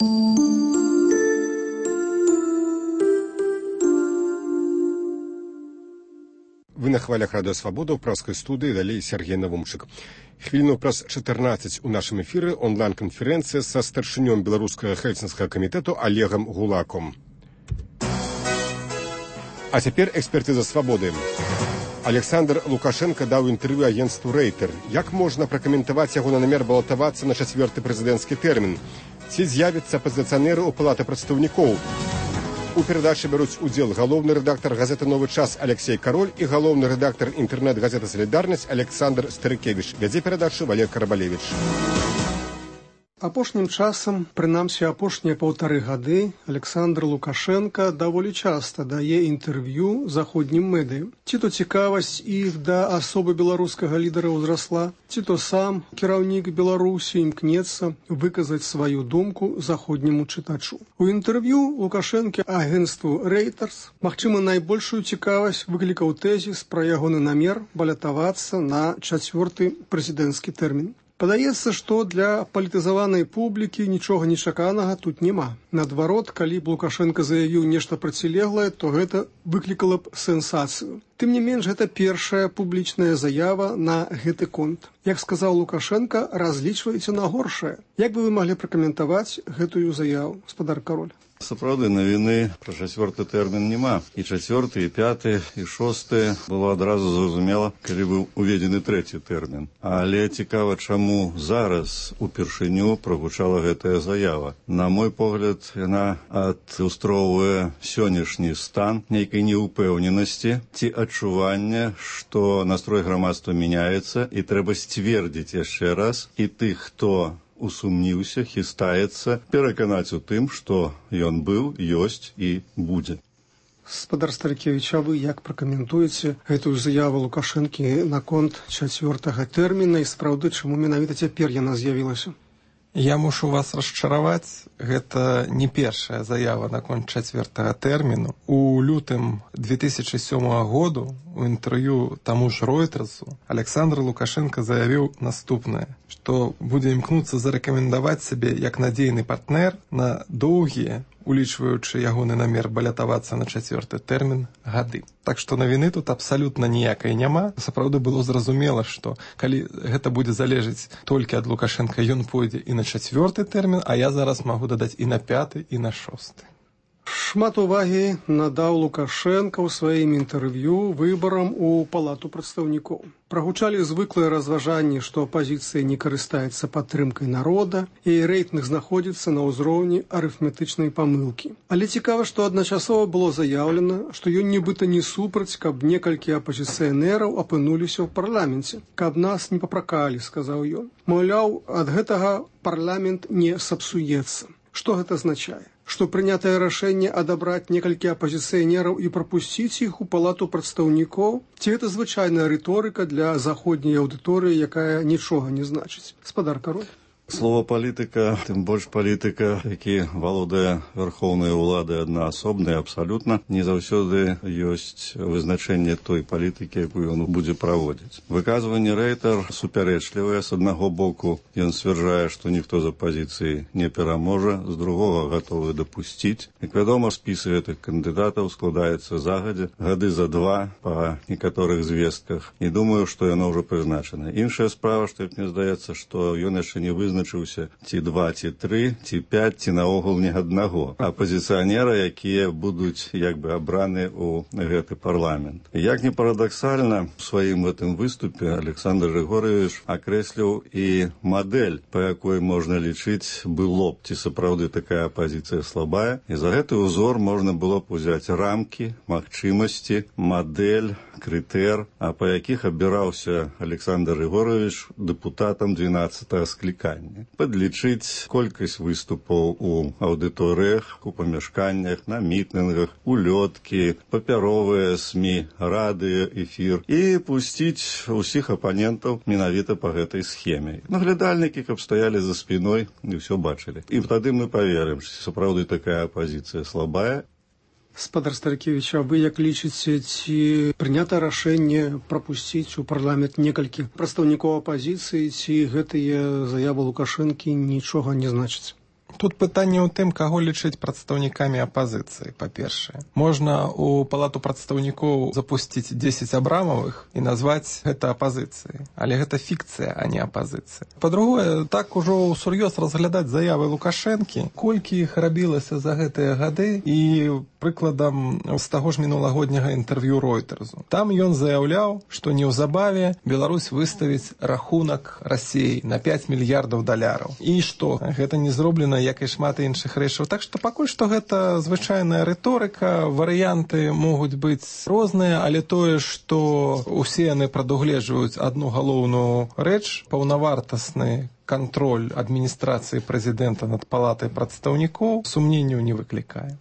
Вы на хвалях Радио Свобода, ў праскай студыі, далей Сергей Навумчык. Хвіліну праз 14 у нашым эфіры онлайн-канферэнцыя са старшынём беларускага хельсінскага камітэту Олегам Гулаком. А цяпер экспертыза Свабоды. Александр Лукашенко даў інтэрв'ю агенцтву Рейтер. Як можна пракаментаваць яго на намер балатавацца на 4-й прэзідэнцкі тэрмін? Ці з'явяцца апазіцыянеры ў палаты прадстаўнікоў? У перадачы бяруць удзел галоўны рэдактар газеты «Новы час» Алексей Кароль і галоўны рэдактар інтэрнэт-газеты «Салідарнасць» Александр Старыкевіч. Вядзе перадачу Валер Карабалевіч. Апошнім часам, прынамсі апошнія 1,5 гады, Александр Лукашенко даволі часта дае інтэрв'ю заходнім медыям. Ці то цікавасць іх да асобы беларускага лідара ўзрасла, ці то сам кіраўнік Беларусі імкнецца выказаць сваю думку заходняму чытачу. У інтэрв'ю Лукашэнкі агенцтву Reuters, магчыма, найбольшую цікавасць выклікаў тэзіс пра ягоны намер балатавацца на 4-й прэзідэнцкі тэрмін. Падаецца, што для палітызаванай публікі нічога нечаканага тут няма. Наадварот, калі б Лукашенко заявіў нешта процілеглае, то гэта выклікала б сенсацыю. Тым не менш, гэта першая публічная заява на гэты конт. Як сказаў Лукашенко, разлічвайце на горшае. Як бы вы маглі пракаментаваць гэтую заяву, гаспадар Кароль? Сапраўды, навіны пра 4-й тэрмін няма. І 4-й, і 5-й, і 6-й было адразу зразумела, калі быў уведзены 3-й тэрмін. Але цікава, чаму зараз упершыню прагучала гэтая заява. На мой погляд, яна адлюстроўвае сённяшні стан нейкай неўпэўненасці ці адчування, што настрой грамадства мяняецца і трэба сцвердзіць яшчэ раз і тых, хто усумніўся, хістаецца, пераканаць у тым, што ён быў, ёсць і будзе. Гаспадар Старыкевіч, а вы як пракаментуеце гэтую заяву Лукашэнкі наконт 4-га тэрміна і сапраўды, чаму менавіта цяпер яна з'явілася? Я мушу вас расчараваць, гэта не першая заява наконт 4-га тэрміну. У лютым 2007 году у інтэрв'ю таму ж Ройтерсу Александр Лукашенко заявіў наступнае, што будзе імкнуцца зарэкамендаваць сябе як надзейны партнер на доўгія, улічваючы ягоны намер балятавацца на 4-й тэрмін, гады. Так што навіны тут абсалютна ніякай няма. Сапраўды было зразумела, што калі гэта будзе залежыць толькі ад Лукашенка, ён пойдзе і на 4-й тэрмін, а я зараз магу дадаць і на 5-й, і на 6-й. Шмат увагі надаў Лукашенко ў сваім інтэрв'ю выбарам у палату прадстаўнікоў. Прагучалі звыклыя разважанні, што апазіцыя не карыстаецца падтрымкай народа, і рэйтынг знаходзіцца на ўзроўні арыфметычнай памылкі. Але цікава, што адначасова было заяўлена, што ён нібыта не супраць, каб некалькі апазіцыянераў апынуліся ў парламенце. Каб нас не папракалі, сказаў ён. Маўляў, ад гэтага парламент не сапсуецца. Што гэта азначае? Што прынятае рашэнне адабраць некалькі апазіцыянераў і прапусціць іх у палату прадстаўнікоў? Ці гэта звычайная рыторыка для заходняй аўдыторыі, якая нічога не значыць? Гаспадар Кароль. Слова палітыка, тым больш палітыка, які валодае верхоўнай уладай аднаасобнай, абсалютна не заўсёды ёсць вызначэнне той палітыкі, якую ён будзе праводзіць. Выказванне Рейтер супярэчлівае. З аднаго боку ён сцвярджае, што ніхто з апазіцыі не пераможа, з другога гатовы дапусціць. Як вядома, спісы гэтых кандыдатаў складаецца загадзя, гады за 2 па некаторых звестках. І думаю, што яно ўжо прызначана. Іншая справа, што мне здаецца, што ён яшчэ не вызначыўся ці 2, ці 3, ці 5, ці наогул ні аднаго апазіцыянера, якія будуць як бы абраны ў гэты парламент. Як не парадаксальна, у сваім гэтым выступе Александр Григорьевич акрэсліў і мадэль, па якой можна лічыць, было б ці сапраўды такая апазіцыя слабая. І за гэты ўзор можна было б узяць рамкі, магчымасці, мадэль, крытэр, а па якіх абіраўся Александр Григорьевич дэпутатам 12-го склікання. Падлічыць колькасць выступаў у аўдыторыях, у памяшканнях, на мітынгах, улёткі, папяровыя СМІ, радыё, эфір і пусціць усіх апанентаў менавіта па гэтай схеме. Наглядальнікі, каб стаялі за спіной і ўсё бачылі. І тады мы паверым, што сапраўды такая апазіцыя слабая. Гаспадар Старыкевіч, а вы як лічыце, ці прынята рашэнне прапусціць у парламент некалькі прадстаўнікоў апазіцыі, ці гэтыя заявы Лукашэнкі нічога не значыць? Тут пытанне ў тым, каго лічыць прадстаўнікамі апазіцыі, па-першае. Можна ў палату прадстаўнікоў запусціць 10 Абрамавых і назваць гэта апазіцыяй. Але гэта фікцыя, а не апазіцыя. Па-другое, так ужо ўсур'ёз разглядаць заявы Лукашэнкі, колькі іх рабілася за гэтыя гады, і прыкладам з таго ж мінулагодняга інтэрв'ю Ройтерсу. Там ён заяўляў, што неўзабаве Беларусь выставіць рахунак Расіі на 5 мільярдаў даляраў. І што? Гэта не зроблена, як і шмат іншых рэчаў. Так што пакуль што гэта звычайная рыторыка, варыянты могуць быць розныя, але тое, што усе яны прадугледжваюць адну галоўную рэч, паўнавартасны кантроль адміністрацыі прэзідэнта над палатай прадстаўнікоў, сумненняў не выклікае.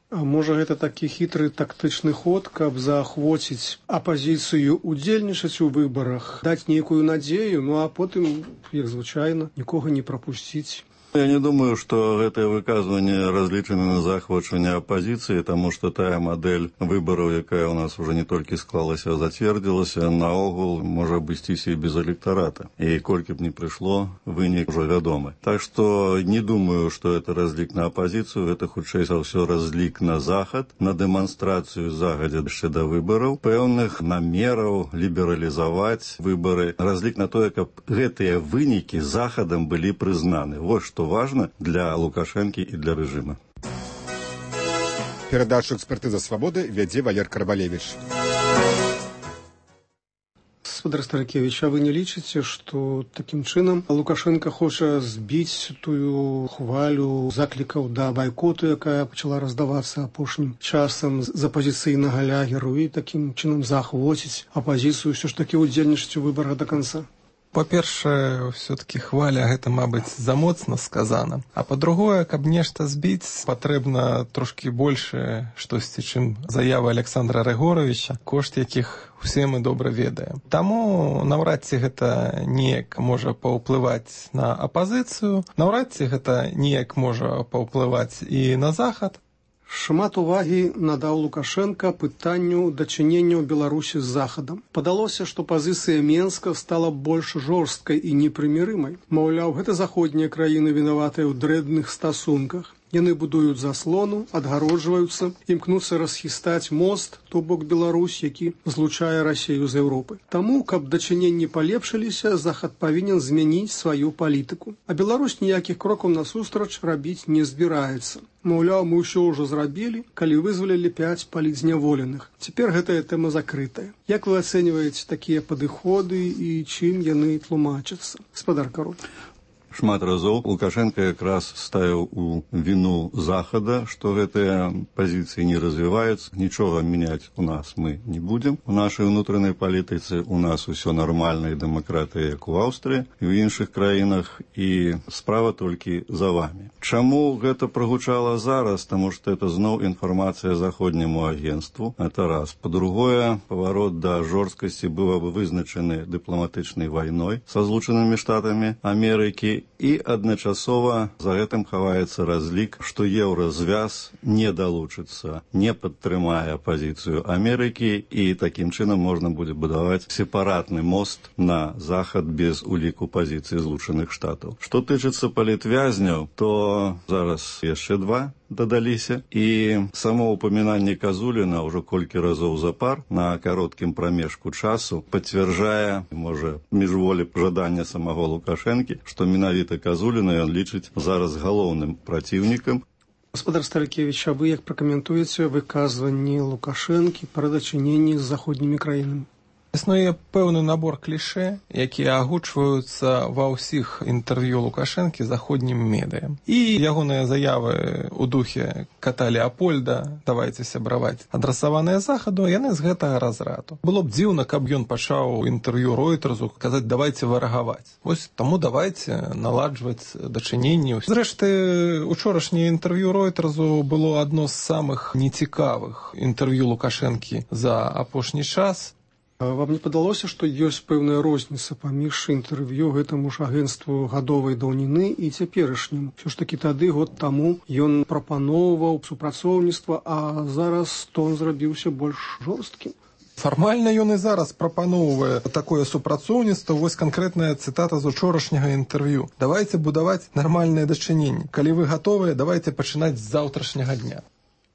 А можа, гэта такі хітры тактычны ход, каб заахвоціць апазіцыю удзельнічаць у выбарах, даць нейкую надзею, ну а потым, як звычайна, нікога не прапусціць. Я не думаю, что это выказывание различено на захвачивание оппозиции, потому что та модель выборов, якая у нас уже не только склалась, а затвердилась, наогул может обойтись и без электората. И кольки бы не пришло, вынік уже вядомы. Так что не думаю, что это разлик на оппозицию, это хутчэй за ўсё разлик на захад, на демонстрацию загадзя яшчэ да выборов, пэўных намераў лібералізаваць выборы, разлик на то, каб гэтыя вынікі захадам былі прызнаны. Вот что важно для Лукашенко и для режима. Передачу «Экспертиза свободы» вядзе Валер Карбалевич. Спадар Старыкевич, а вы не лічыце, што такім чынам Лукашенко хоча збіць тую хвалю заклікаў да байкоту, якая пачала раздавацца апошнім часам з апазіцыйнага лягеру, і такім чынам заахвоціць апазіцыю ўсё ж такі ўдзельнічаць у выбарах да канца? Па-першае, все-таки хваля гэта, мабыць, замоцна сказана. А па-другое, каб нешта збіць, патрэбна трошкі большае штосьці, чым заява Александра Рыгоровича, кошт якіх усе мы добра ведаем. Таму наўрад ці гэта неяк можа паўплываць на апазіцыю, наўрад ці гэта неяк можа паўплываць і на захад. Шмат увагі надаў Лукашенко пытанню дачынення Беларусі з Захадам. Падалося, што пазіцыя Менска стала больш жорсткай і непрымірымай. Маўляў, гэта заходнія краіны вінаватыя ў дрэнных стасунках. Яны будуюць заслону, адгароджваюцца, імкнуцца расхістаць мост, то бок Беларусь, які злучае Расію з Еўропай. Таму, каб дачыненні палепшыліся, Захад павінен змяніць сваю палітыку. А Беларусь ніякіх крокаў насустрач рабіць не збіраецца. Маўляў, мы ўсё ўжо зрабілі, калі вызвалілі 5 палітзняволеных. Цяпер гэтая тэма закрытая. Як вы ацэньваеце такія падыходы і чым яны тлумачацца? Спадар Кароль. Шмат разоў Лукашенко якраз ставіў у віну Захада, што гэтыя пазіцыі не развіваюцца, нічога мяняць у нас мы не будзем. У нашай унутранай палітыцы у нас усё нармальна і дэмакратыя, як у Аўстрыі і ў іншых краінах, і справа толькі за вамі. Чаму гэта прагучала зараз? Таму што это зноў інфармацыя заходняму агенству. Это раз. Па-другое, паварот да жорсткасці быў вызначаны дыпламатычнай вайной са Злучанымі Штатамі Амерыкі, і адначасова за гэтым хаваецца разлік, што еўразвяз не далучыцца, не падтрымае пазіцыю Амерыкі, і такім чынам можна будзе будаваць сепаратны мост на захад без уліку пазіцыі Злучаных Штатаў. Што тычыцца палітвязняў, то зараз яшчэ 2 дадаліся, і само упамінанне Казуліна ўжо колькі разоў запар на кароткім прамежку часу пацвярджае, можа, міжволі жадання самого Лукашэнкі, што менавіта Казуліна ён лічыць зараз галоўным праціўнікам. Спадар Старыкевич, а вы як пракаментуеце выказванні Лукашэнкі пра дачыненні з заходнімі краінамі? Існуе пэўны набор клішэ, якія агучваюцца ва ўсіх інтэрв'ю Лукашэнкі заходнім медыям. І ягоныя заявы ў духе кота Леапольда, давайце сябраваць, адрасаваныя захаду, яны з гэтага разраду. Было б дзіўна, каб ён пачаў інтэрв'ю Ройтерсу казаць, давайце варагаваць. Вось таму давайце наладжваць дачыненні. Зрэшты, учорашняе інтэрв'ю Ройтерсу было адно з самых нецікавых інтэрв'ю Лукашэнкі за апошні час. Вам не падалося, што ёсць пэўная розніца паміж інтэрв'ю гэтаму ж агенцтву гадовай даўніны і цяперашнім? Усё ж такі тады, год таму, ён прапаноўваў супрацоўніцтва, а зараз тон зрабіўся больш жорсткім. Фармальна ён і зараз прапаноўвае такое супрацоўніцтва. Вось канкрэтная цытата з учорашняга інтэрв'ю. Давайте будаваць нармальнае дачыненне. Калі вы гатовыя, давайте пачынаць з заўтрашняга дня.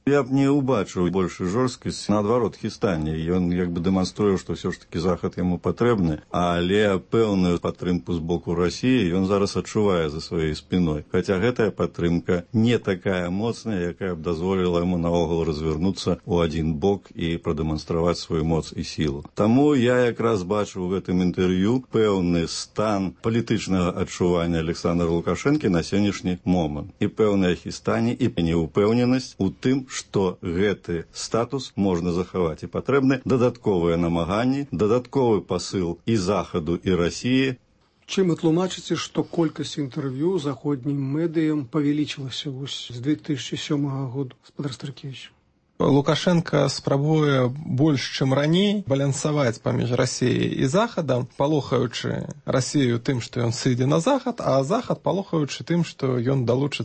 Я б не убачыў большую жорсткасць, наадварот, хістанне. Ён як бы дэманструе, што ўсё ж такі захад яму патрэбны, але пэўную падтрымку з боку Расіі ён зараз адчувае за сваёй спіной. Хаця гэтая падтрымка не такая моцная, якая б дазволіла яму наогул развярнуцца ў адзін бок і прадэманстраваць сваю моц і сілу. Таму я якраз бачу ў гэтым інтэрв'ю пэўны стан палітычнага адчування Александра Лукашэнкі на сённяшні момант. І пэўнае хістанне, і неўпэўненасць у тым, што гэты статус можна захаваць. І патрэбны дадатковыя намаганні, дадатковы пасыл і Захаду, і Расіі. Чым вы тлумачыце, што колькасць інтэрв'ю заходнім медыям павялічылася з 2007 году, гаспадар Старкевіч? Лукашенко спрабуе больш, чым раней, балансаваць паміж Расіяй і Захадам, палохаючы Расію тым, што ён сыдзе на Захад, а Захад палохаючы тым, што ён далучыцца